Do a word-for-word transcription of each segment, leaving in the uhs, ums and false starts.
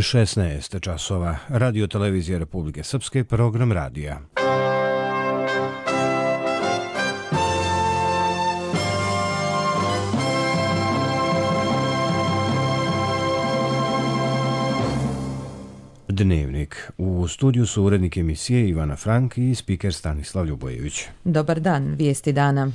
šesnaest časova. Radio televizija Republike Srpske, program radija. Dnevnik. U studiju su urednik emisije Ivana Frank i spiker Stanislav Ljubojević. Dobar dan, vijesti dana.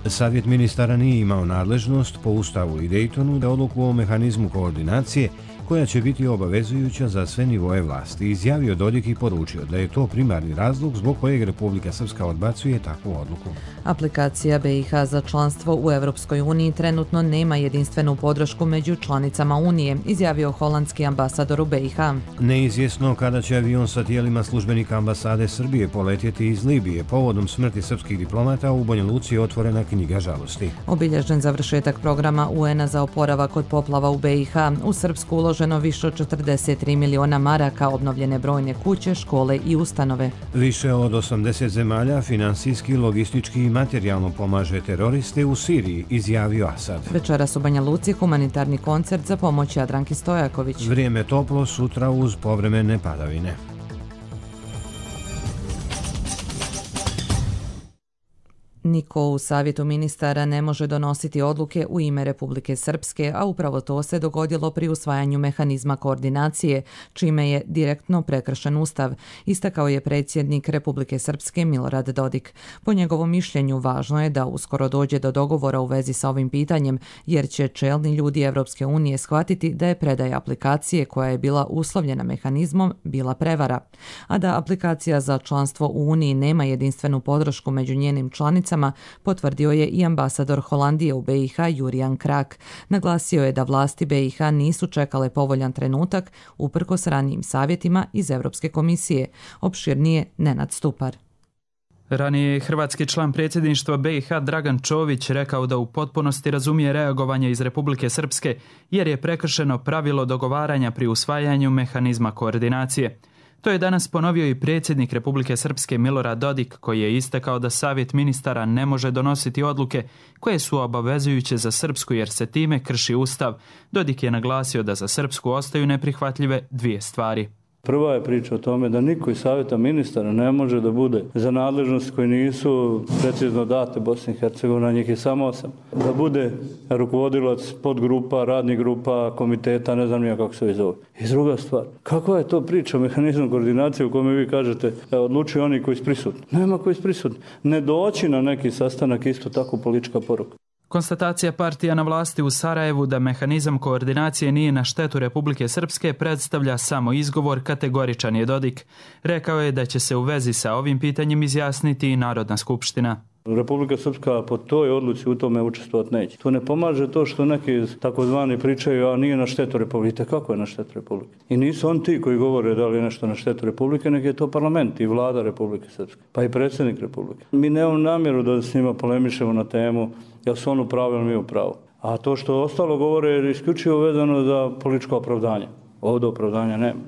Savjet ministara nije imao nadležnost po Ustavu i Daytonu da odluku o mehanizmu koordinacije koja će biti obavezujuća za sve nivoje vlasti, izjavio Dodik i poručio da je to primarni razlog zbog kojeg Republika Srpska odbacuje takvu odluku. Aplikacija B i H za članstvo u Evropskoj uniji trenutno nema jedinstvenu podršku među članicama Unije, izjavio holandski ambasador u B i H. Neizvjesno kada će avion sa tijelima službenika ambasade Srbije poletjeti iz Libije. Povodom smrti srpskih diplomata u Banja Luci je otvorena knjiga žalosti. Obilježen završetak programa U N-a za oporavak od poplava u B i H. U Srpsku uloženo više od četrdeset tri miliona maraka, obnovljene brojne kuće, škole i ustanove. Više od osamdeset zemalja finansijski, logistički i materijalno pomaže teroriste u Siriji, izjavio Asad. Večeras u Banja Luci humanitarni koncert za pomoć Jadranki Stojaković. Vrijeme toplo, sutra uz povremene padavine. Niko u Savjetu ministara ne može donositi odluke u ime Republike Srpske, a upravo to se dogodilo pri usvajanju mehanizma koordinacije, čime je direktno prekršen Ustav, istakao je predsjednik Republike Srpske Milorad Dodik. Po njegovom mišljenju važno je da uskoro dođe do dogovora u vezi sa ovim pitanjem, jer će čelni ljudi Evropske unije shvatiti da je predaja aplikacije koja je bila uslovljena mehanizmom bila prevara, a da aplikacija za članstvo u Uniji nema jedinstvenu podršku među njenim članicama, potvrdio je i ambasador Holandije u B i H Jurijan Krak. Naglasio je da vlasti B i H nisu čekale povoljan trenutak uprkos ranijim savjetima iz Europske komisije. Opširnije Nenad Stupar. Ranije je hrvatski član predsjedništva B i H Dragan Čović rekao da u potpunosti razumije reagovanje iz Republike Srpske jer je prekršeno pravilo dogovaranja pri usvajanju mehanizma koordinacije. To je danas ponovio i predsjednik Republike Srpske Milorad Dodik, koji je istakao da Savjet ministara ne može donositi odluke koje su obavezujuće za Srpsku jer se time krši Ustav. Dodik je naglasio da za Srpsku ostaju neprihvatljive dvije stvari. Prva je priča o tome da niko iz Savjeta ministara ne može da bude za nadležnosti koje nisu precizno date Bosni i Hercegovini, njih je samo osam. Da bude rukovodilac podgrupa, radnih grupa, komiteta, ne znam nija kako se zove. I druga stvar, kakva je to priča o mehanizmu koordinacije u kome vi kažete odlučuju oni koji su prisutni? Nema koji su prisutni. Ne doći na neki sastanak isto tako politička poruka. Konstatacija partija na vlasti u Sarajevu da mehanizam koordinacije nije na štetu Republike Srpske predstavlja samo izgovor, kategoričan je Dodik. Rekao je da će se u vezi sa ovim pitanjem izjasniti i Narodna skupština. Republika Srpska po toj odluci u tome učestvovati neće. To ne pomaže to što neki takozvani pričaju, a nije na štetu Republike. Kako je na štetu Republike? I nisu on ti koji govore da li je nešto na štetu Republike, nego je to parlament i vlada Republike Srpske, pa i predsjednik Republike. Mi nemamo namjeru da s njima polemišemo na temu jel su on u pravu ili mi u pravu. A to što ostalo govore je isključivo vezano za političko opravdanje. Ovdje opravdanja nema.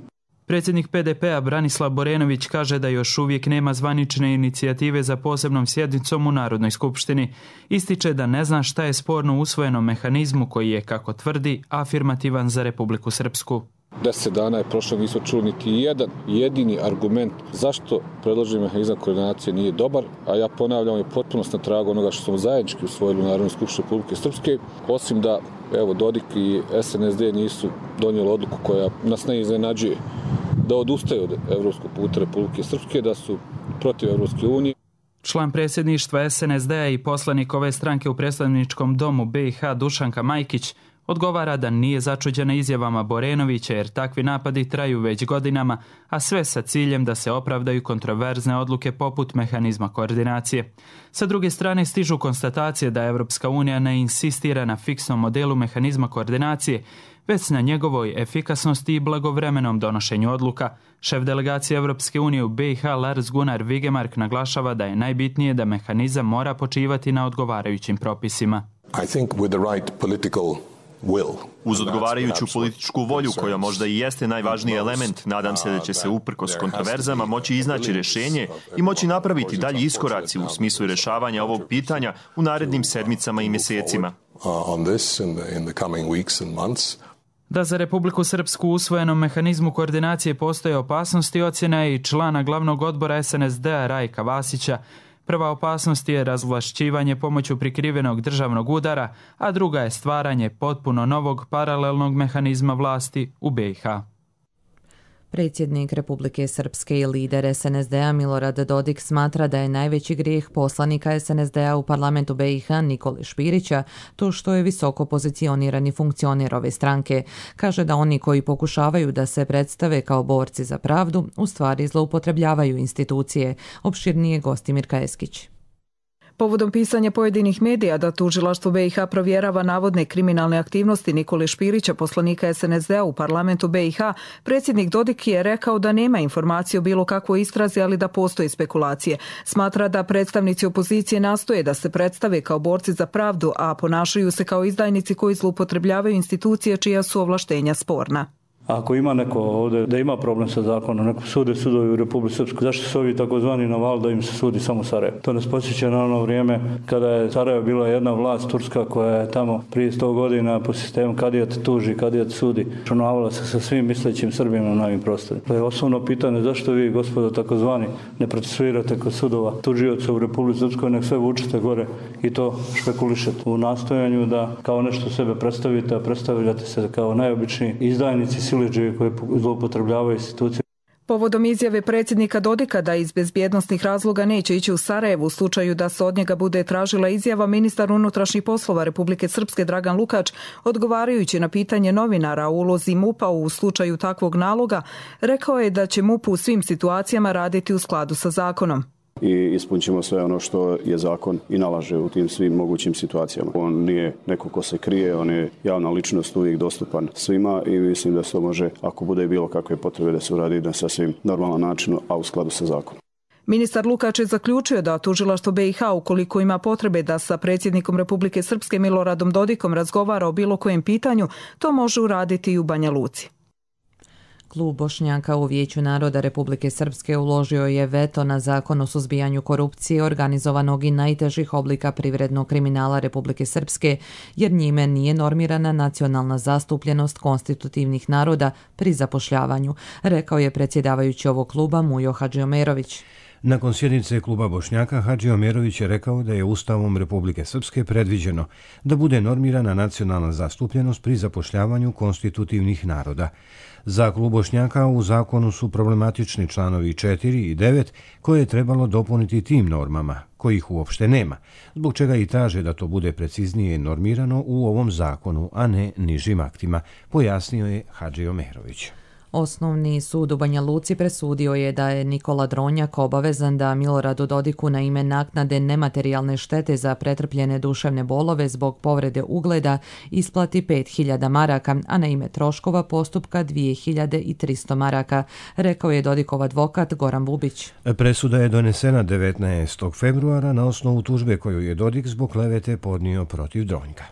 Predsjednik P D P-a Branislav Borenović kaže da još uvijek nema zvanične inicijative za posebnom sjednicom u Narodnoj skupštini. Ističe da ne zna šta je sporno u usvojenom mehanizmu koji je, kako tvrdi, afirmativan za Republiku Srpsku. Deset dana je prošlo, nismo čuli niti jedan jedini argument zašto predloženi mehanizam koordinacije nije dobar, a ja ponavljam je potpunost na tragu onoga što smo zajednički usvojili u Narodnoj skupštini Republike Srpske, osim da evo Dodik i S N S D nisu donijeli odluku koja nas ne iznenađuje da odustaju od evropskog puta Republike Srpske, da su protiv Evropske unije. Član predsjedništva S N S D-a i poslanik ove stranke u predstavničkom domu B i H Dušanka Majkić odgovara da nije začuđena izjavama Borenovića jer takvi napadi traju već godinama, a sve sa ciljem da se opravdaju kontroverzne odluke poput mehanizma koordinacije. Sa druge strane stižu konstatacije da Evropska unija ne insistira na fiksnom modelu mehanizma koordinacije, već na njegovoj efikasnosti i blagovremenom donošenju odluka. Šef delegacije Evropske unije u B i H Lars Gunnar Vigemark naglašava da je najbitnije da mehanizam mora počivati na odgovarajućim propisima. I think with the right political Uz odgovarajuću političku volju, koja možda i jeste najvažniji element, nadam se da će se uprkos kontroverzama moći iznaći rješenje i moći napraviti dalji iskoraci u smislu rješavanja ovog pitanja u narednim sedmicama i mjesecima. Da za Republiku Srpsku u usvojenom mehanizmu koordinacije postoje opasnosti, ocjena je i člana glavnog odbora es en es de-a Rajka Vasića. Prva opasnost je razvlašćivanje pomoću prikrivenog državnog udara, a druga je stvaranje potpuno novog paralelnog mehanizma vlasti u be i ha. Predsjednik Republike Srpske i lider es en es de-a Milorad Dodik smatra da je najveći grijeh poslanika es en es de-a u parlamentu be i ha Nikole Špirića to što je visoko pozicionirani funkcioner ove stranke. Kaže da oni koji pokušavaju da se predstave kao borci za pravdu u stvari zloupotrebljavaju institucije. Opširnije Gostimir Kajeskić. Povodom pisanja pojedinih medija da tužilaštvo be i ha provjerava navodne kriminalne aktivnosti Nikole Špirića, poslanika es en es de-a u parlamentu be i ha, predsjednik Dodik je rekao da nema informacije o bilo kakvoj istrazi, ali da postoje spekulacije. Smatra da predstavnici opozicije nastoje da se predstave kao borci za pravdu, a ponašaju se kao izdajnici koji zloupotrebljavaju institucije čija su ovlaštenja sporna. Ako ima neko ovdje da ima problem sa zakonom, neko sude sudovi u Republici Srpskoj, zašto su ovi takozvani naval da im se sudi samo Sarajevo? To nas podsjeća na ono vrijeme kada je Sarajevo bila jedna vlast turska koja je tamo prije sto godina po sistemu kadijat tuži, kadijat sudi, čunavala se sa svim mislećim Srbima na ovim prostorima. To je osnovno pitanje, zašto vi, gospodo takozvani, ne procesuirate kod sudova tužioca u Republici Srpskoj, nek sve vučete gore i to špekulišete u nastojanju da kao nešto sebe predstavite, a predstavljate se kao najobičniji izdajnici siledžije koje zloupotrebljavaju institucije. Povodom izjave predsjednika Dodika da iz bezbjednosnih razloga neće ići u Sarajevo u slučaju da se od njega bude tražila izjava, ministar unutrašnjih poslova Republike Srpske Dragan Lukač, odgovarajući na pitanje novinara o ulozi MUP-a u slučaju takvog naloga, rekao je da će MUP u svim situacijama raditi u skladu sa zakonom. I ispunit ćemo sve ono što je zakon i nalaže u tim svim mogućim situacijama. On nije neko ko se krije, on je javna ličnost, uvijek dostupan svima i mislim da se to može, ako bude bilo kakve potrebe, da se uradi na sasvim normalan način, a u skladu sa zakonom. Ministar Lukač je zaključio da tužilaštvo be i ha, ukoliko ima potrebe da sa predsjednikom Republike Srpske Miloradom Dodikom razgovara o bilo kojem pitanju, to može uraditi i u Banja Luci. Klub Bošnjaka u Vijeću naroda Republike Srpske uložio je veto na zakon o suzbijanju korupcije, organizovanog i najtežih oblika privrednog kriminala Republike Srpske, jer njime nije normirana nacionalna zastupljenost konstitutivnih naroda pri zapošljavanju, rekao je predsjedavajući ovog kluba Mujo Hadžiomerović. Nakon sjednice kluba Bošnjaka, Hadžiomerović je rekao da je Ustavom Republike Srpske predviđeno da bude normirana nacionalna zastupljenost pri zapošljavanju konstitutivnih naroda. Za klub Bošnjaka u zakonu su problematični članovi četiri i devet koje je trebalo dopuniti tim normama, kojih uopšte nema, zbog čega i traže da to bude preciznije normirano u ovom zakonu, a ne nižim aktima, pojasnio je Hadžiomerović. Osnovni sud u Banja Luci presudio je da je Nikola Dronjak obavezan da Miloradu Dodiku na ime naknade nematerijalne štete za pretrpljene duševne bolove zbog povrede ugleda isplati pet hiljada maraka, a na ime troškova postupka dvije hiljade tristo maraka, rekao je Dodikov advokat Goran Bubić. Presuda je donesena devetnaestog februara na osnovu tužbe koju je Dodik zbog klevete podnio protiv Dronjka.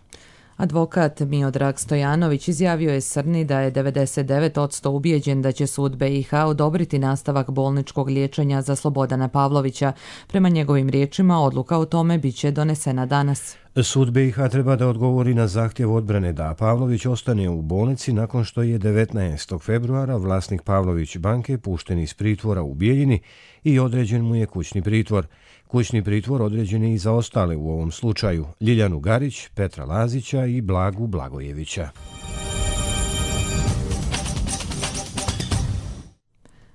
Advokat Miodrag Stojanović izjavio je Srni da je devedeset devet posto ubijeđen da će sud be i ha odobriti nastavak bolničkog liječenja za Slobodana Pavlovića. Prema njegovim riječima, odluka o tome biće donesena danas. Sud be i ha treba da odgovori na zahtjev odbrane da Pavlović ostane u bolnici nakon što je devetnaestog februara vlasnik Pavlović banke pušten iz pritvora u Bijeljini i određen mu je kućni pritvor. Kućni pritvor određen je i za ostale u ovom slučaju, Ljiljanu Garić, Petra Lazića i Blagu Blagojevića.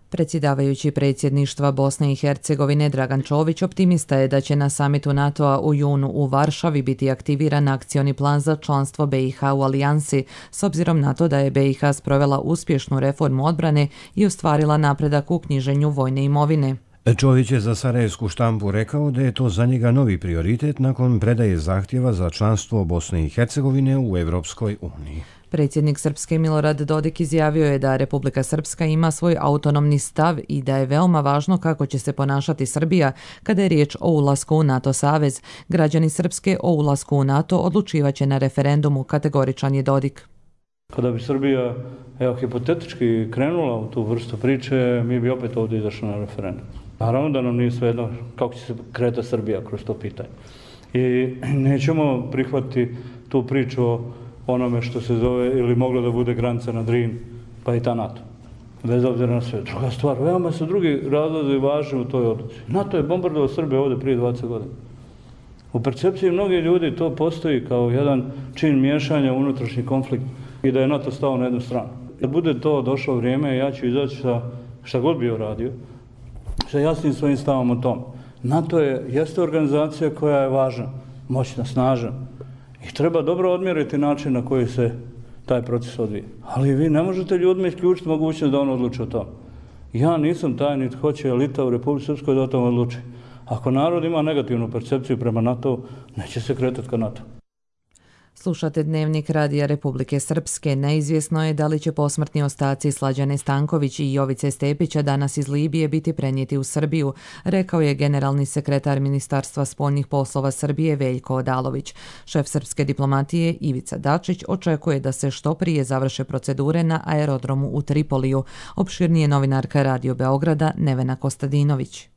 Predsjedavajući predsjedništva Bosne i Hercegovine Dragan Čović optimista je da će na samitu NATO-a u junu u Varšavi biti aktiviran akcioni plan za članstvo be i ha u alijansi, s obzirom na to da je be i ha sprovela uspješnu reformu odbrane i ostvarila napredak u knjiženju vojne imovine. Čović je za sarajevsku štampu rekao da je to za njega novi prioritet nakon predaje zahtjeva za članstvo Bosne i Hercegovine u Evropskoj uniji. Predsjednik Srpske Milorad Dodik izjavio je da Republika Srpska ima svoj autonomni stav i da je veoma važno kako će se ponašati Srbija kada je riječ o ulasku u NATO savez. Građani Srpske o ulasku u NATO odlučivaće na referendumu, kategoričan je Dodik. Kada bi Srbija, evo, hipotetički krenula u tu vrstu priče, mi bi opet ovdje izašli na referendum. Naravno da nam nije svejedno kako će se kretati Srbija kroz to pitanje. I nećemo prihvatiti tu priču o onome što se zove ili moglo da bude granica na Drin, pa i ta NATO. Bez obzira na sve. Druga stvar, veoma su drugi razlozi važni u toj odluci. NATO je bombardovao Srbije ovdje prije dvadeset godina. U percepciji mnogih ljudi to postoji kao jedan čin miješanja u unutrašnji konflikt i da je NATO stao na jednu stranu. Kad bude to došlo vrijeme, ja ću izaći sa šta god bio radio, sa jasnim svojim stavom o tom. NATO je, jeste organizacija koja je važna, moćna, snažna i treba dobro odmjeriti način na koji se taj proces odvija. Ali vi ne možete ljudima isključiti mogućnost da on odluči o tom. Ja nisam taj, niti hoće elita u Republici Srpskoj da o tom odluči. Ako narod ima negativnu percepciju prema NATO, neće se kretati ka NATO. Slušate Dnevnik Radija Republike Srpske. Neizvjesno je da li će posmrtni ostaci Slađane Stanković i Jovice Stepića danas iz Libije biti prenijeti u Srbiju, rekao je generalni sekretar Ministarstva spoljnih poslova Srbije Veljko Odalović. Šef srpske diplomatije Ivica Dačić očekuje da se što prije završe procedure na aerodromu u Tripoliju. Opširnije novinarka Radio Beograda Nevena Kostadinović.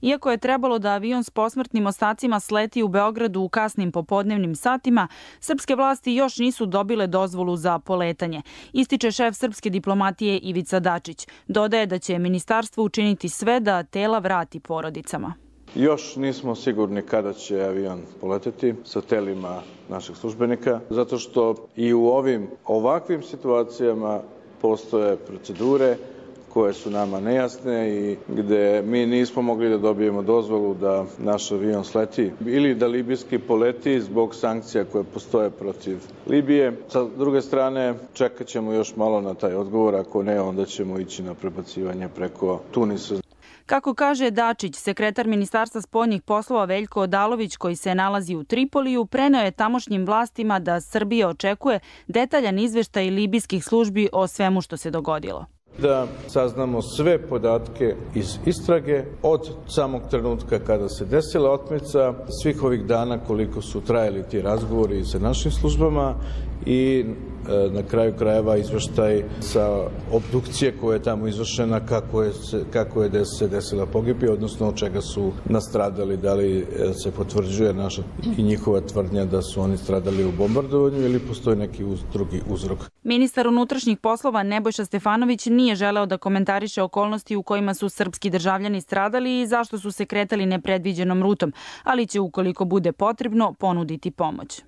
Iako je trebalo da avion s posmrtnim ostacima sleti u Beogradu u kasnim popodnevnim satima, srpske vlasti još nisu dobile dozvolu za poletanje, ističe šef srpske diplomatije Ivica Dačić. Dodaje da će ministarstvo učiniti sve da tela vrati porodicama. Još nismo sigurni kada će avion poleteti sa telima naših službenika, zato što i u ovim ovakvim situacijama postoje procedure koje su nama nejasne i gde mi nismo mogli da dobijemo dozvolu da naš avion sleti ili da libijski poleti zbog sankcija koje postoje protiv Libije. Sa druge strane, čekat ćemo još malo na taj odgovor, ako ne, onda ćemo ići na prebacivanje preko Tunisa. Kako kaže Dačić, sekretar Ministarstva spoljnih poslova Veljko Odalović, koji se nalazi u Tripoliju, preneo je tamošnjim vlastima da Srbija očekuje detaljan izveštaj libijskih službi o svemu što se dogodilo. Da saznamo sve podatke iz istrage od samog trenutka kada se desila otmica, svih ovih dana koliko su trajali ti razgovori sa našim službama i e, na kraju krajeva izveštaj sa obdukcije koja je tamo izvršena, kako je, se, kako je se desila pogibija, odnosno od čega su nastradali, da li se potvrđuje naša i njihova tvrdnja da su oni stradali u bombardovanju ili postoji neki uz, drugi uzrok. Ministar unutrašnjih poslova Nebojša Stefanović nije želeo da komentariše okolnosti u kojima su srpski državljani stradali i zašto su se kretali nepredviđenom rutom, ali će ukoliko bude potrebno ponuditi pomoć.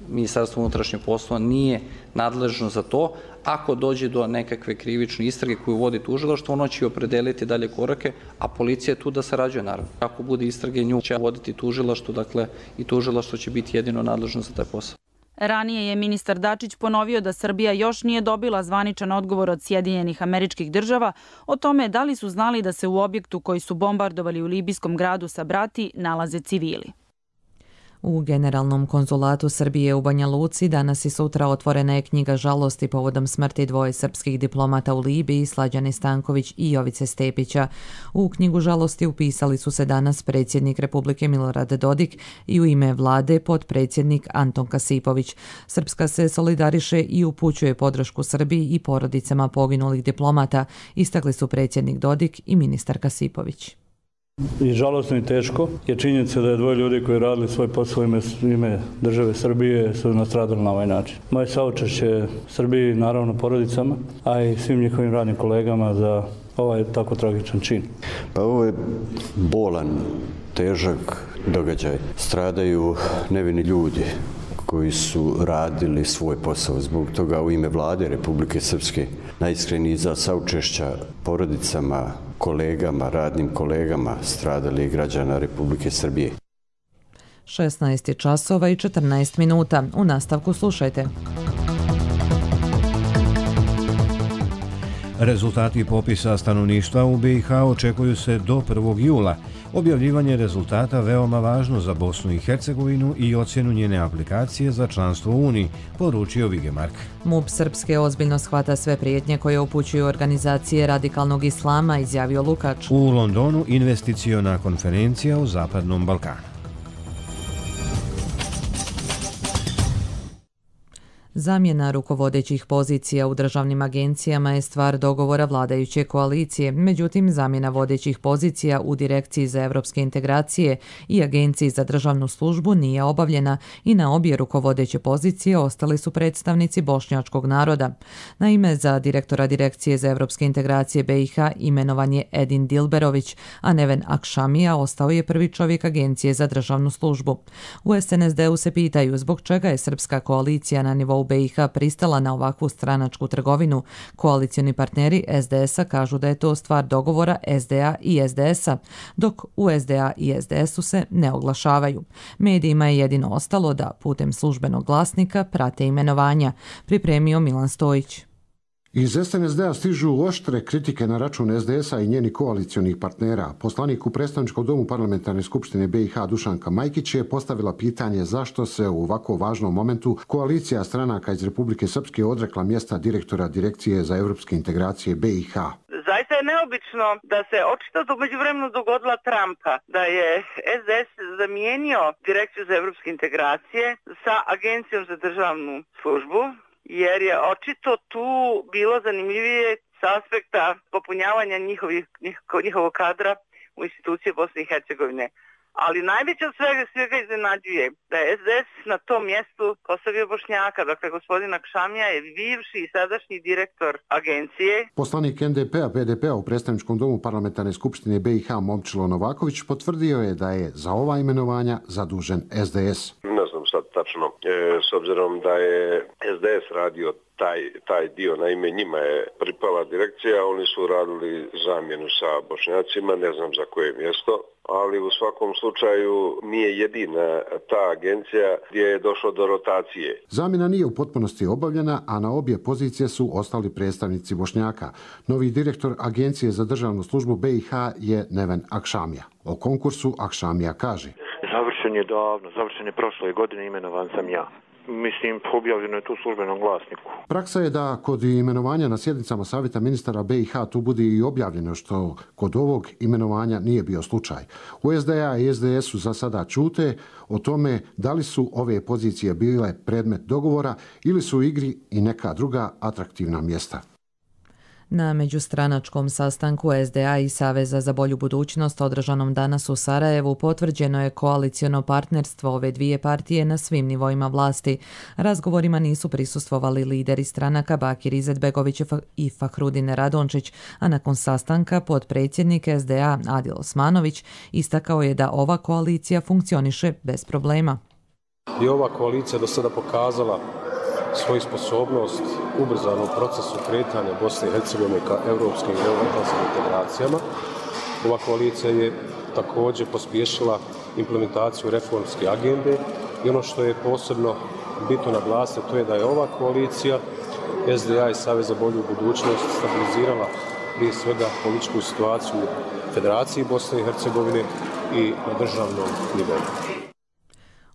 Ministarstvo unutrašnjih poslova nije nadležno za to. Ako dođe do nekakve krivične istrage koju vodi tužilaštvo, ono će opredeliti dalje korake, a policija je tu da sarađuje, naravno. Ako bude istrage, nju će voditi tužilaštvo, dakle i tužilaštvo će biti jedino nadležno za taj posao. Ranije je ministar Dačić ponovio da Srbija još nije dobila zvaničan odgovor od Sjedinjenih Američkih Država o tome da li su znali da se u objektu koji su bombardovali u libijskom gradu Sabrati nalaze civili. U Generalnom konzulatu Srbije u Banja Luci danas i sutra otvorena je knjiga žalosti povodom smrti dvoje srpskih diplomata u Libiji, Slađane Stanković i Jovice Stepića. U knjigu žalosti upisali su se danas predsjednik Republike Milorad Dodik i u ime vlade potpredsjednik Anton Kasipović. Srpska se solidariše i upućuje podršku Srbiji i porodicama poginulih diplomata, istakli su predsjednik Dodik i ministar Kasipović. I žalostno i teško je činjenica da je dvoje ljudi koji radili svoj posao ime, ime države Srbije su nastradali na ovaj način. Moje saučešće Srbiji, naravno porodicama, a i svim njihovim radnim kolegama za ovaj tako tragičan čin. Pa ovo je bolan, težak događaj. Stradaju nevini ljudi koji su radili svoj posao. Zbog toga u ime vlade Republike Srpske najiskreniji za saučešća porodicama, kolegama, radnim kolegama stradalih građana Republike Srbije. šesnaest časova i četrnaest minuta. U nastavku slušajte. Rezultati popisa stanovništva u B i H očekuju se do prvog jula. Objavljivanje rezultata veoma važno za Bosnu i Hercegovinu i ocjenu njene aplikacije za članstvo u Uniji, poručio Vigemark. MUP Srpske ozbiljno shvata sve prijetnje koje upućuju organizacije radikalnog islama, izjavio Lukač. U Londonu investiciona konferencija o Zapadnom Balkanu. Zamjena rukovodećih pozicija u državnim agencijama je stvar dogovora vladajuće koalicije, međutim zamjena vodećih pozicija u Direkciji za evropske integracije i Agenciji za državnu službu nije obavljena i na obje rukovodeće pozicije ostali su predstavnici bošnjačkog naroda. Naime, za direktora Direkcije za evropske integracije B i H imenovan je Edin Dilberović, a Neven Akšamija ostao je prvi čovjek Agencije za državnu službu. U S N S D-u se pitaju zbog čega je srpska koalicija na nivou B i H pristala na ovakvu stranačku trgovinu. Koalicioni partneri S D S-a kažu da je to stvar dogovora S D A i S D S-a, dok u S D A i S D S-u se ne oglašavaju. Medijima je jedino ostalo da putem službenog glasnika prate imenovanja, pripremio Milan Stojić. Iz S N S D-a stižu oštre kritike na račun S D S-a i njenih koalicionih partnera. Poslanik u predstavničkom domu parlamentarne skupštine B i H Dušanka Majkić je postavila pitanje zašto se u ovako važnom momentu koalicija stranaka iz Republike Srpske odrekla mjesta direktora Direkcije za evropske integracije B i H. Zaista je neobično da se očito u međuvremenu dogodila Trumpa, da je S D S zamijenio Direkciju za evropske integracije sa Agencijom za državnu službu, jer je očito tu bilo zanimljivije s aspekta popunjavanja njihovih, njihovog kadra u institucije Bosne i Hercegovine. Ali najveće od svega, svega iznenađuje da je S D S na tom mjestu postavio Bošnjaka. Dakle, gospodin Akšamija je bivši i sadašnji direktor agencije. Poslanik N D P-a P D P-a u predstavničkom domu parlamentarne skupštine B i H Momčilo Novaković potvrdio je da je za ova imenovanja zadužen S D S. Ne znam sad tačno, e, s obzirom da je S D S radio taj, taj dio, naime njima je pripala direkcija, oni su radili zamjenu sa Bošnjacima, ne znam za koje mjesto, ali u svakom slučaju nije jedina ta agencija gdje je došlo do rotacije. Zamjena nije u potpunosti obavljena, a na obje pozicije su ostali predstavnici Bošnjaka. Novi direktor Agencije za državnu službu B i H je Neven Akšamija. O konkursu Akšamija kaže: Završen je davno, završen je prošle godine, imenovan sam ja. Mislim, objavljeno je tu u službenom glasniku. Praksa je da kod imenovanja na sjednicama Savjeta ministara B i H tu bude i objavljeno, što kod ovog imenovanja nije bio slučaj. U S D A i S D S-u za sada ćute o tome da li su ove pozicije bile predmet dogovora ili su u igri i neka druga atraktivna mjesta. Na međustranačkom sastanku S D A i Saveza za bolju budućnost održanom danas u Sarajevu potvrđeno je koaliciono partnerstvo ove dvije partije na svim nivoima vlasti. Razgovorima nisu prisustvovali lideri stranaka Bakir Izetbegović i Fahrudin Radončić, a nakon sastanka potpredsjednik S D A Adil Osmanović istakao je da ova koalicija funkcioniše bez problema. I ova koalicija do sada pokazala svoju sposobnost ubrzanom procesu kretanja Bosne i Hercegovine ka evropskim i euroatlantskim integracijama. Ova koalicija je također pospješila implementaciju reformske agende i ono što je posebno bitno naglasiti to je da je ova koalicija S D A i Savez za bolju budućnost stabilizirala prije svega političku situaciju u Federaciji Bosne i Hercegovine i na državnom nivou.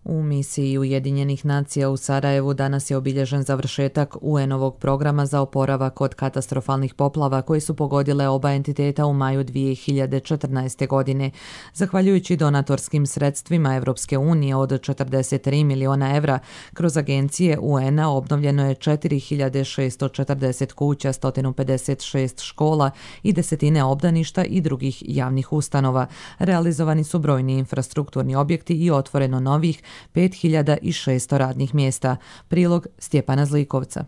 U misiji Ujedinjenih nacija u Sarajevu danas je obilježen završetak U N-ovog programa za oporavak od katastrofalnih poplava koji su pogodile oba entiteta u maju dvije hiljade četrnaeste. godine. Zahvaljujući donatorskim sredstvima Evropske unije od četrdeset tri miliona evra, kroz agencije U N-a obnovljeno je četiri hiljade šessto četrdeset kuća, sto pedeset šest škola i desetine obdaništa i drugih javnih ustanova. Realizovani su brojni infrastrukturni objekti i otvoreno novih pet hiljada šesto radnih mjesta. Prilog Stjepana Zlikovca.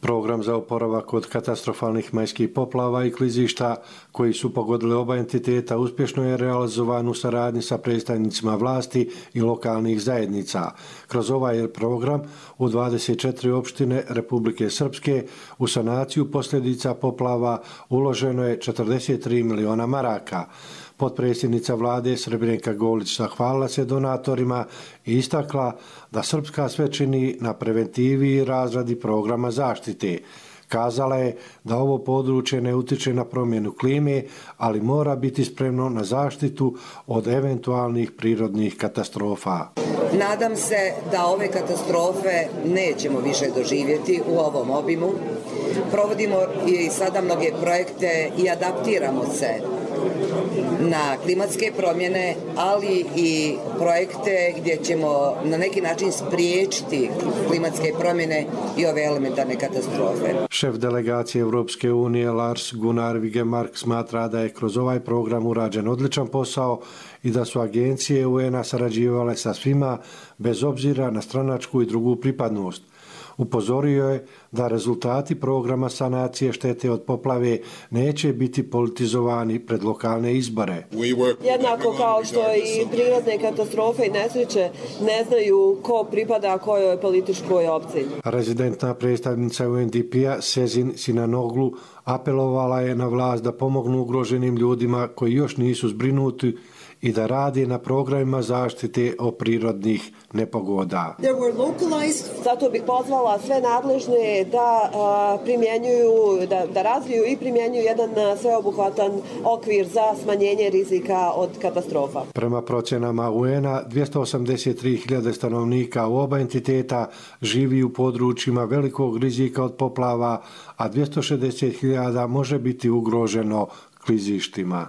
Program za oporavak od katastrofalnih majskih poplava i klizišta koji su pogodili oba entiteta uspješno je realizovan u saradnji sa predstavnicima vlasti i lokalnih zajednica. Kroz ovaj program u dvadeset četiri opštine Republike Srpske u sanaciju posljedica poplava uloženo je četrdeset tri miliona maraka. Potpredsjednica vlade Srebrenka Golić zahvalila se donatorima i istakla da Srpska sve čini na preventivi i razradi programa zaštite. Kazala je da ovo područje ne utiče na promjenu klime, ali mora biti spremno na zaštitu od eventualnih prirodnih katastrofa. Nadam se da ove katastrofe nećemo više doživjeti u ovom obimu. Provodimo i sada mnoge projekte i adaptiramo se na klimatske promjene, ali i projekte gdje ćemo na neki način spriječiti klimatske promjene i ove elementarne katastrofe. Šef delegacije Europske unije Lars Gunnar Vigemark smatra da je kroz ovaj program urađen odličan posao i da su agencije U N-a sarađivale sa svima bez obzira na stranačku i drugu pripadnost. Upozorio je da rezultati programa sanacije štete od poplave neće biti politizovani pred lokalne izbore. Jednako kao što i prirodne katastrofe i nesreće ne znaju ko pripada kojoj političkoj opciji. Rezidentna predstavnica U N D P-a Sezin Sinanoglu apelovala je na vlast da pomognu ugroženim ljudima koji još nisu zbrinuti i da radi na programima zaštite od prirodnih nepogoda. Zato bih pozvala sve nadležne da a, primjenjuju, da, da razviju i primjenjuju jedan sveobuhvatan okvir za smanjenje rizika od katastrofa. Prema procjenama U N-a, dvjesto osamdeset tri hiljade stanovnika u oba entiteta živi u područjima velikog rizika od poplava, a dvjesto šezdeset hiljada može biti ugroženo klizištima.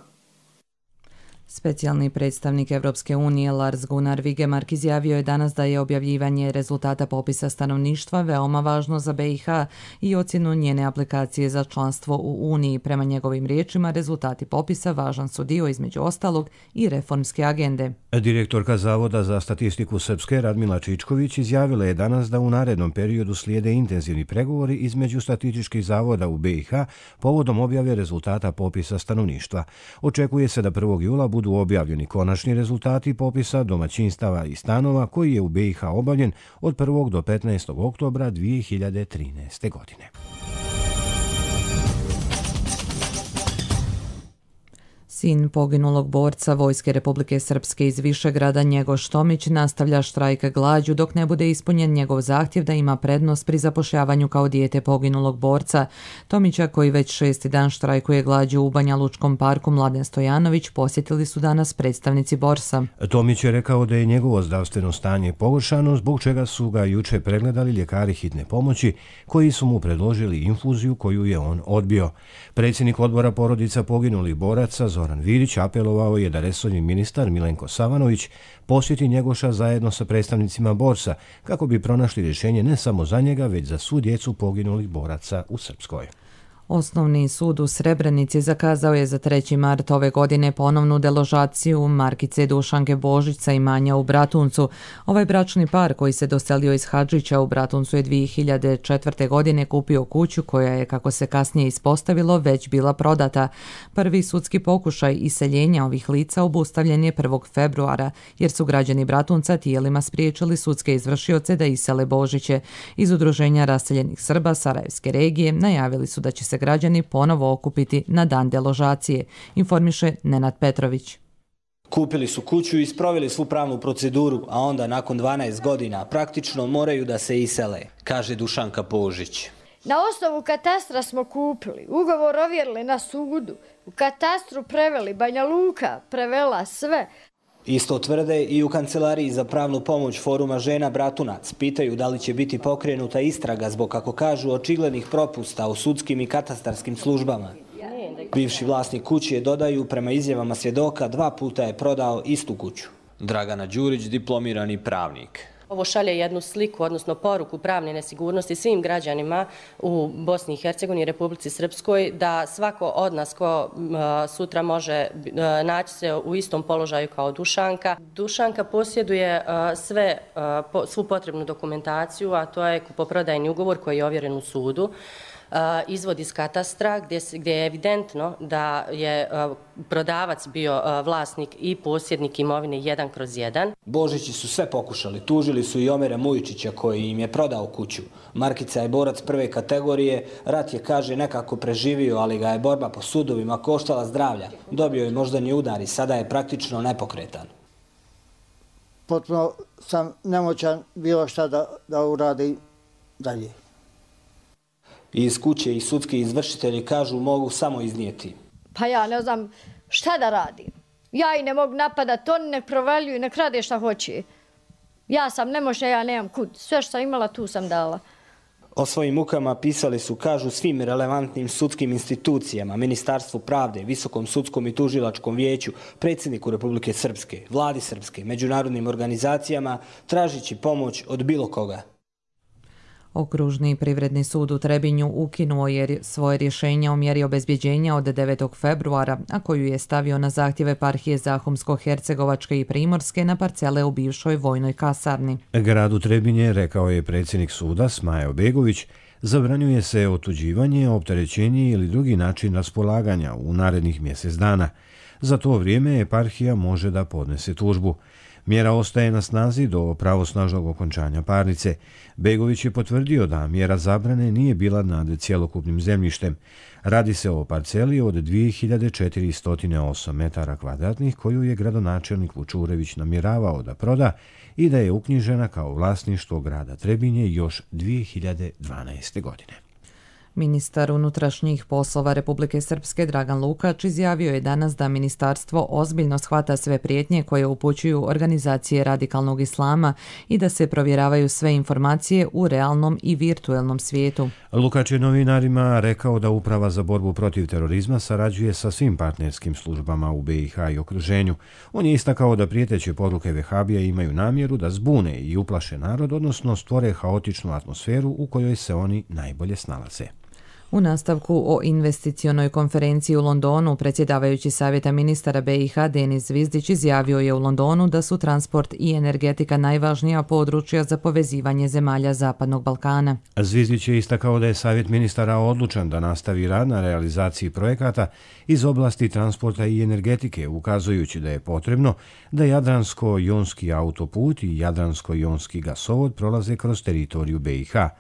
Specijalni predstavnik Evropske unije Lars Gunnar Vigemark izjavio je danas da je objavljivanje rezultata popisa stanovništva veoma važno za B i H i ocjenu njene aplikacije za članstvo u Uniji. Prema njegovim riječima, rezultati popisa važan su dio između ostalog i reformske agende. Direktorka Zavoda za statistiku Srpske Radmila Čičković izjavila je danas da u narednom periodu slijede intenzivni pregovori između statističkih zavoda u B i H povodom objave rezultata popisa stanovništva. Očekuje se da prvog jula budu objavljeni konačni rezultati popisa domaćinstava i stanova koji je u B i H obavljen od prvog do petnaestog oktobra dvije hiljade trinaeste. godine. Sin poginulog borca Vojske Republike Srpske iz Višegrada Njegoš Tomić nastavlja štrajk glađu dok ne bude ispunjen njegov zahtjev da ima prednost pri zapošljavanju kao dijete poginulog borca. Tomića, koji već šesti dan štrajkuje glađu u Banja Lučkom parku Mladen Stojanović, posjetili su danas predstavnici borsa. Tomić je rekao da je njegovo zdravstveno stanje pogoršano, zbog čega su ga juče pregledali ljekari hitne pomoći koji su mu predložili infuziju koju je on odbio. Predsjednik odbora porodica poginulih boraca Zoran Virić apelovao je da resorni ministar Milenko Savanović posjeti Njegoša zajedno sa predstavnicima borsa kako bi pronašli rješenje ne samo za njega, već za svu djecu poginulih boraca u Srpskoj. Osnovni sud u Srebrenici zakazao je za treći mart ove godine ponovnu deložaciju Markice Dušanke Božić sa imanja u Bratuncu. Ovaj bračni par koji se doselio iz Hadžića u Bratuncu je dvije hiljade četvrte. godine kupio kuću koja je, kako se kasnije ispostavilo, već bila prodata. Prvi sudski pokušaj iseljenja ovih lica obustavljen je prvog februara, jer su građani Bratunca tijelima spriječili sudske izvršioce da isele Božiće. Iz Udruženja raseljenih Srba Sarajevske regije najavili su da će se građani ponovo okupiti na dan deložacije, informiše Nenad Petrović. Kupili su kuću i sproveli svu pravnu proceduru, a onda nakon dvanaest godina praktično moraju da se isele, kaže Dušanka Božić. Na osnovu katastra smo kupili, ugovor ovjerili na sudu, u katastru preveli, Banja Luka prevela sve. Isto tvrde i u Kancelariji za pravnu pomoć Foruma žena Bratunac. Pitaju da li će biti pokrenuta istraga zbog, kako kažu, očiglednih propusta u sudskim i katastarskim službama. Bivši vlasnik kuće, dodaju, prema izjavama svjedoka, dva puta je prodao istu kuću. Dragana Đurić, diplomirani pravnik. Ovo šalje jednu sliku, odnosno poruku pravne nesigurnosti svim građanima u Bosni i Hercegovini i Republici Srpskoj, da svako od nas ko sutra može naći se u istom položaju kao Dušanka. Dušanka posjeduje sve, svu potrebnu dokumentaciju, a to je kupoprodajni ugovor koji je ovjeren u sudu, izvod iz katastra gdje, gdje je evidentno da je prodavac bio vlasnik i posjednik imovine jedan kroz jedan. Božići su sve pokušali. Tužili su i Omera Mujičića koji im je prodao kuću. Markica je borac prve kategorije. Rat je, kaže, nekako preživio, ali ga je borba po sudovima koštala zdravlja. Dobio je moždani udar i sada je praktično nepokretan. Potpuno sam nemoćan bilo šta da, da uradi dalje. i iz kuće i sudski izvršitelji kažu mogu samo iznijeti. Pa ja ne znam šta da radim. Ja i ne mogu napadati, oni nek provaljuju, nek rade šta hoće. Ja sam nemoćna, ja nemam kud. Sve što sam imala, tu sam dala. O svojim mukama pisali su, kažu, svim relevantnim sudskim institucijama, Ministarstvu pravde, Visokom sudskom i tužilačkom vijeću, predsjedniku Republike Srpske, vladi Srpske, međunarodnim organizacijama, tražići pomoć od bilo koga. Okružni privredni sud u Trebinju ukinuo je svoje rješenje o mjeri obezbjeđenja od devetog februara, a koju je stavio na zahtjeve eparhije Zahumsko-Hercegovačke i Primorske na parcele u bivšoj vojnoj kasarni. Gradu Trebinje, rekao je predsjednik suda Smajo Begović, zabranjuje se otuđivanje, opterećenje ili drugi način raspolaganja u narednih mjesec dana. Za to vrijeme eparhija može da podnese tužbu. Mjera ostaje na snazi do pravosnažnog okončanja parnice. Begović je potvrdio da mjera zabrane nije bila nad cjelokupnim zemljištem. Radi se o parceli od dvije hiljade četiristo osam metara kvadratnih koju je gradonačelnik Vučurević namjeravao da proda i da je uknjižena kao vlasništvo grada Trebinje još dvije hiljade dvanaeste. godine. Ministar unutrašnjih poslova Republike Srpske Dragan Lukač izjavio je danas da ministarstvo ozbiljno shvata sve prijetnje koje upućuju organizacije radikalnog islama i da se provjeravaju sve informacije u realnom i virtuelnom svijetu. Lukač je novinarima rekao da Uprava za borbu protiv terorizma sarađuje sa svim partnerskim službama u be i ha i okruženju. On je istakao da prijeteće poruke vehabija imaju namjeru da zbune i uplaše narod, odnosno stvore haotičnu atmosferu u kojoj se oni najbolje snalaze. U nastavku o investicionoj konferenciji u Londonu, predsjedavajući Savjeta ministara be i ha Denis Zvizdić izjavio je u Londonu da su transport i energetika najvažnija područja za povezivanje zemalja Zapadnog Balkana. Zvizdić je istakao da je Savjet ministara odlučan da nastavi rad na realizaciji projekata iz oblasti transporta i energetike, ukazujući da je potrebno da Jadransko-jonski autoput i Jadransko-jonski gasovod prolaze kroz teritoriju be i ha.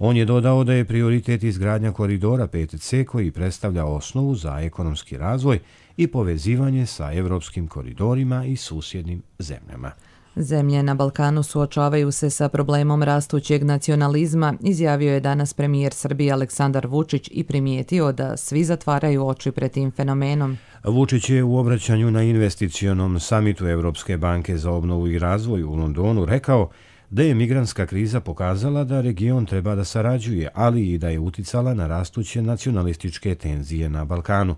On je dodao da je prioritet izgradnja koridora pet ce koji predstavlja osnovu za ekonomski razvoj i povezivanje sa evropskim koridorima i susjednim zemljama. Zemlje na Balkanu suočavaju se sa problemom rastućeg nacionalizma, izjavio je danas premijer Srbije Aleksandar Vučić i primijetio da svi zatvaraju oči pred tim fenomenom. Vučić je u obraćanju na investicionom samitu Evropske banke za obnovu i razvoj u Londonu rekao da je migrantska kriza pokazala da region treba da sarađuje, ali i da je uticala na rastuće nacionalističke tenzije na Balkanu.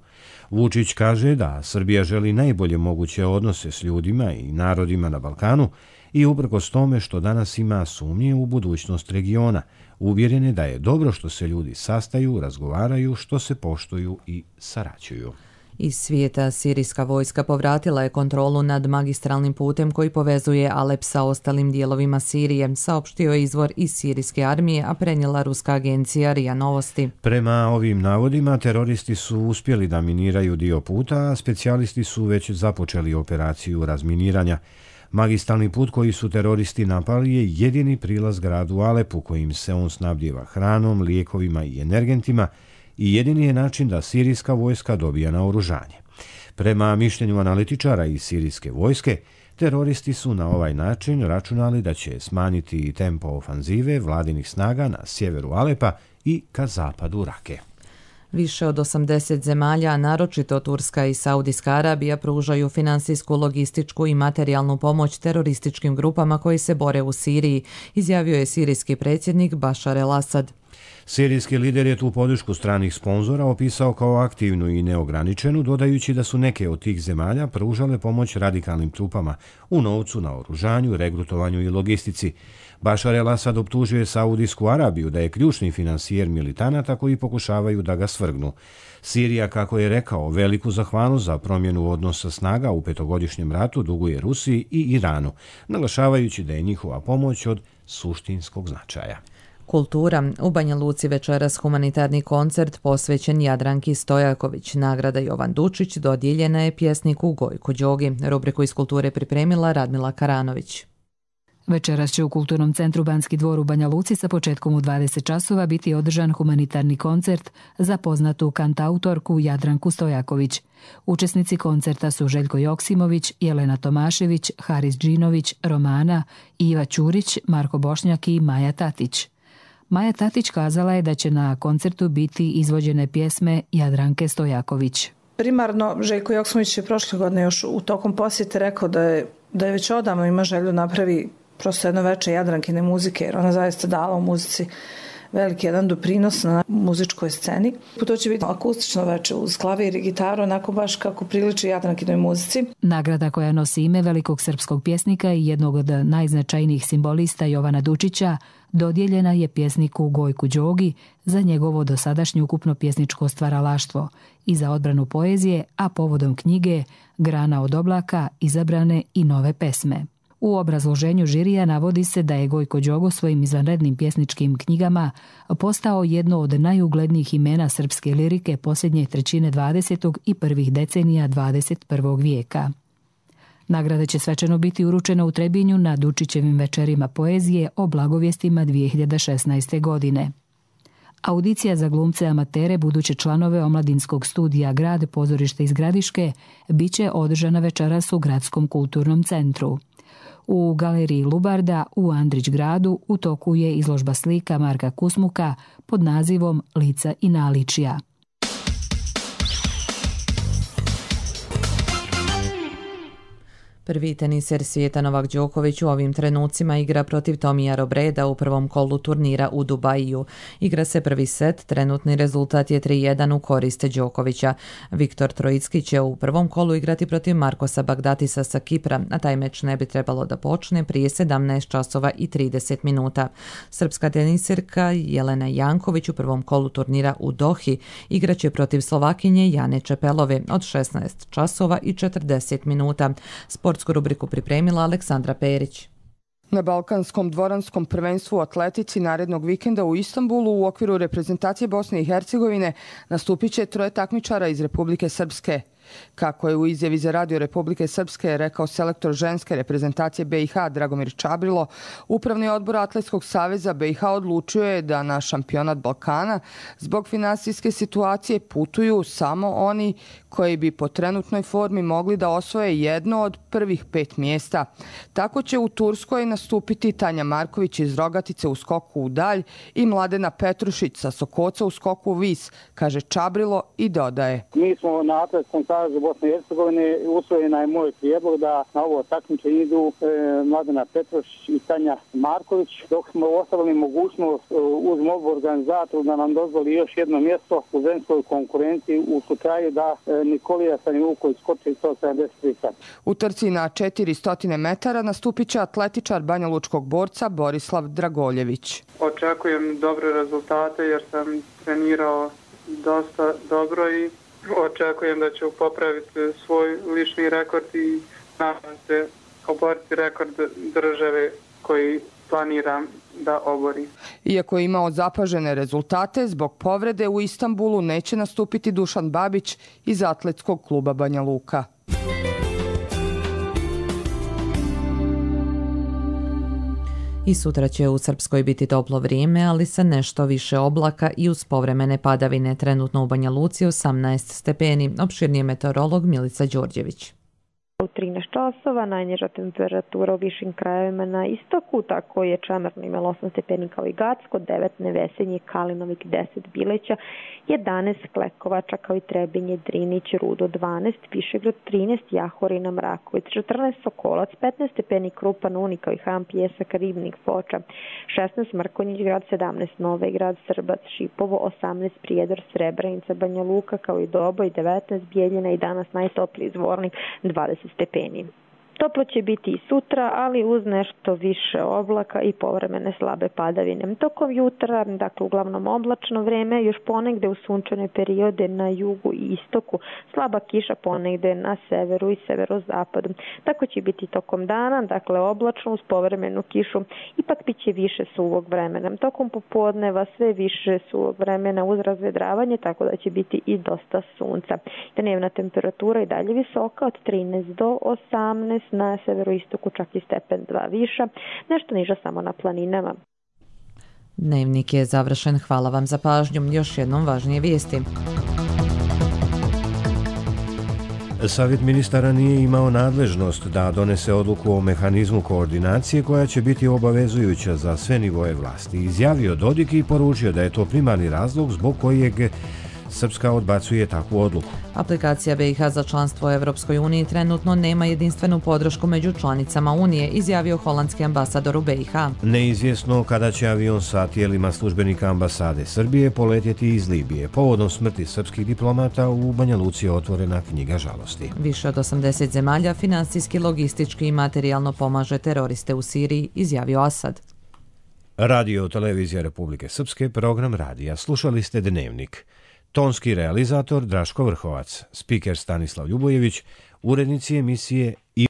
Vučić kaže da Srbija želi najbolje moguće odnose s ljudima i narodima na Balkanu i uprkos tome što danas ima sumnje u budućnost regiona, uvjeren je da je dobro što se ljudi sastaju, razgovaraju, što se poštuju i sarađuju. Iz svijeta sirijska vojska povratila je kontrolu nad magistralnim putem koji povezuje Alep sa ostalim dijelovima Sirije, saopštio je izvor iz sirijske armije, a prenijela ruska agencija RIA Novosti. Prema ovim navodima, teroristi su uspjeli da miniraju dio puta, a specijalisti su već započeli operaciju razminiranja. Magistralni put koji su teroristi napali je jedini prilaz gradu Alepu kojim se on snabdijeva hranom, lijekovima i energentima, i jedini je način da sirijska vojska dobija naoružanje. Prema mišljenju analitičara iz sirijske vojske, teroristi su na ovaj način računali da će smanjiti tempo ofanzive vladinih snaga na sjeveru Alepa i ka zapadu Rake. Više od osamdeset zemalja, naročito Turska i Saudijska Arabija, pružaju finansijsku, logističku i materijalnu pomoć terorističkim grupama koji se bore u Siriji, izjavio je sirijski predsjednik Bašar el-Asad. Sirijski lider je tu podršku stranih sponzora opisao kao aktivnu i neograničenu, dodajući da su neke od tih zemalja pružale pomoć radikalnim trupama u novcu, naoružanju, regrutovanju i logistici. Bašar el-Asad optužio je Saudijsku Arabiju da je ključni finansijer militanata koji pokušavaju da ga svrgnu. Sirija, kako je rekao, veliku zahvalnost za promjenu odnosa snaga u petogodišnjem ratu duguje Rusiji i Iranu, naglašavajući da je njihova pomoć od suštinskog značaja. Kultura. U Banja Luci večeras humanitarni koncert posvećen Jadranki Stojaković. Nagrada Jovan Dučić dodijeljena je pjesniku Gojku Đogi. Rubriku iz kulture pripremila Radmila Karanović. Večeras će u Kulturnom centru Banski dvor u Banja Luci sa početkom u dvadeset časova biti održan humanitarni koncert za poznatu kantautorku Jadranku Stojaković. Učesnici koncerta su Željko Joksimović, Jelena Tomašević, Haris Džinović, Romana, Iva Ćurić, Marko Bošnjak i Maja Tatić. Maja Tatić kazala je da će na koncertu biti izvođene pjesme Jadranke Stojaković. Primarno, Željko Joksimović je prošle godine još u tokom posjete rekao da je, da je već odavno ima želju napravi prosto jedno veče Jadrankine muzike, jer ona zaista dala u muzici veliki jedan doprinos na muzičkoj sceni. To će biti akustično veče uz klavir i gitaru, onako baš kako priliči Jadrankinoj muzici. Nagrada koja nosi ime velikog srpskog pjesnika i jednog od najznačajnijih simbolista Jovana Dučića dodijeljena je pjesniku Gojku Đogi za njegovo dosadašnje ukupno pjesničko stvaralaštvo i za odbranu poezije, a povodom knjige Grana od oblaka izabrane i nove pesme. U obrazloženju žirija navodi se da je Gojko Đogo svojim izvanrednim pjesničkim knjigama postao jedno od najuglednijih imena srpske lirike posljednje trećine dvadesetog i prvih decenija dvadeset prvog vijeka. Nagrada će svečano biti uručena u Trebinju na Dučićevim večerima poezije o blagovjestima dvije hiljade šesnaeste. godine. Audicija za glumce amatere, buduće članove omladinskog studija Grad, pozorište iz Gradiške, bit će održana večeras u Gradskom kulturnom centru. U galeriji Lubarda u Andrić gradu u toku je izložba slika Marka Kusmuka pod nazivom Lica i naličja. Prvi teniser svijeta Novak Đoković u ovim trenucima igra protiv Tomija Robreda u prvom kolu turnira u Dubaju. Igra se prvi set, trenutni rezultat je tri jedan u korist Đokovića. Viktor Trojicki će u prvom kolu igrati protiv Markosa Bagdatisa sa Kipra, a taj meč ne bi trebalo da počne prije sedamnaest časova i trideset minuta. Srpska teniserka Jelena Janković u prvom kolu turnira u Dohi igraće protiv Slovakinje Jane Čepelove od šesnaest časova i četrdeset minuta. Sportsku rubriku pripremila Aleksandra Perić. Na Balkanskom dvoranskom prvenstvu u atletici narednog vikenda u Istanbulu u okviru reprezentacije Bosne i Hercegovine nastupit će troje takmičara iz Republike Srpske. Kako je u izjavi za Radio Republike Srpske rekao selektor ženske reprezentacije B i H Dragomir Čabrilo, Upravni odbor Atletskog saveza B i H odlučio je da na šampionat Balkana zbog finansijske situacije putuju samo oni koji bi po trenutnoj formi mogli da osvoje jedno od prvih pet mjesta. Tako će u Turskoj nastupiti Tanja Marković iz Rogatice u skoku u dalj i Mladena Petrušić sa Sokoca u skoku u vis, kaže Čabrilo i dodaje. Mi smo na Atletskom savezu Bosne i Hercegovine, usvojena je moj prijedlog da na ovo takmičenje idu e, Mladena Petrušić i Tanja Marković, dok smo ostavili mogućnost e, uz molbu organizatoru da nam dozvoli još jedno mjesto u ženskoj konkurenciji u slučaju da e, Nikolija Sanjuković skoči sto sedamdeset tri sata. U trci na četiristo metara nastupit će atletičar banjalučkog borca Borislav Dragoljević. Očekujem dobre rezultate jer sam trenirao dosta dobro i očekujem da ću popraviti svoj lični rekord i nadam se oboriti rekord države koji planiram da obori. Iako je imao zapažene rezultate, zbog povrede u Istanbulu neće nastupiti Dušan Babić iz atletskog kluba Banja Luka. I sutra će u Srpskoj biti toplo vrijeme, ali sa nešto više oblaka i uz povremene padavine. Trenutno u Banja Luci osamnaest stepeni. Opširnije meteorolog Milica Đorđević. U trinaest časova, najniža temperatura u višim krajevima na istoku, tako je Čemerno imalo osam stepeni kao i Gacko, devet Nevesenje, Kalinovik, deset Bileća, jedanaest Klekovača kao i Trebinje, Drinić, Rudo, dvanaest Višegrad, trinaest Jahorina, Mraković, četrnaest Sokolac, petnaest stepeni Krupan, Uni kao i Ham, Pjesak, Ribnik, Foča, šesnaest Mrkonjić grad, sedamnaest Novi grad, Srbac, Šipovo, osamnaest Prijedor, Srebrenica, Banja Luka kao i Doboj, devetnaest Bijeljina i danas najtopliji Zvornik, dvadeset stepeni. Toplo će biti i sutra, ali uz nešto više oblaka i povremene slabe padavine. Tokom jutra, dakle uglavnom oblačno vreme, još ponegde u sunčane periode na jugu i istoku, slaba kiša ponegde na severu i severozapadu. Tako će biti tokom dana, dakle oblačno uz povremenu kišu, ipak bit će više suvog vremena. Tokom popodneva sve više suvog vremena uz razvedravanje, tako da će biti i dosta sunca. Dnevna temperatura i dalje visoka od trinaest do osamnaest, na severoistoku čak i stepen dva viša, nešto niža samo na planinama. Dnevnik je završen. Hvala vam za pažnju. Još jednom važnije vijesti. Savjet ministara nije imao nadležnost da donese odluku o mehanizmu koordinacije koja će biti obavezujuća za sve nivoje vlasti. Izjavio Dodik i poručio da je to primarni razlog zbog kojeg Srpska odbacuje takvu odluku. Aplikacija B i H za članstvo u Evropskoj uniji trenutno nema jedinstvenu podršku među članicama Unije, izjavio holandski ambasador u B i H. Neizvjesno kada će avion sa tijelima službenika ambasade Srbije poletjeti iz Libije. Povodom smrti srpskih diplomata u Banja Luci je otvorena knjiga žalosti. Više od osamdeset zemalja finansijski, logistički i materijalno pomaže teroriste u Siriji, izjavio Asad. Radio televizija Republike Srpske, program radija. Slušali ste Dnevnik. Tonski realizator Draško Vrhovac, spiker Stanislav Ljubojević, urednici emisije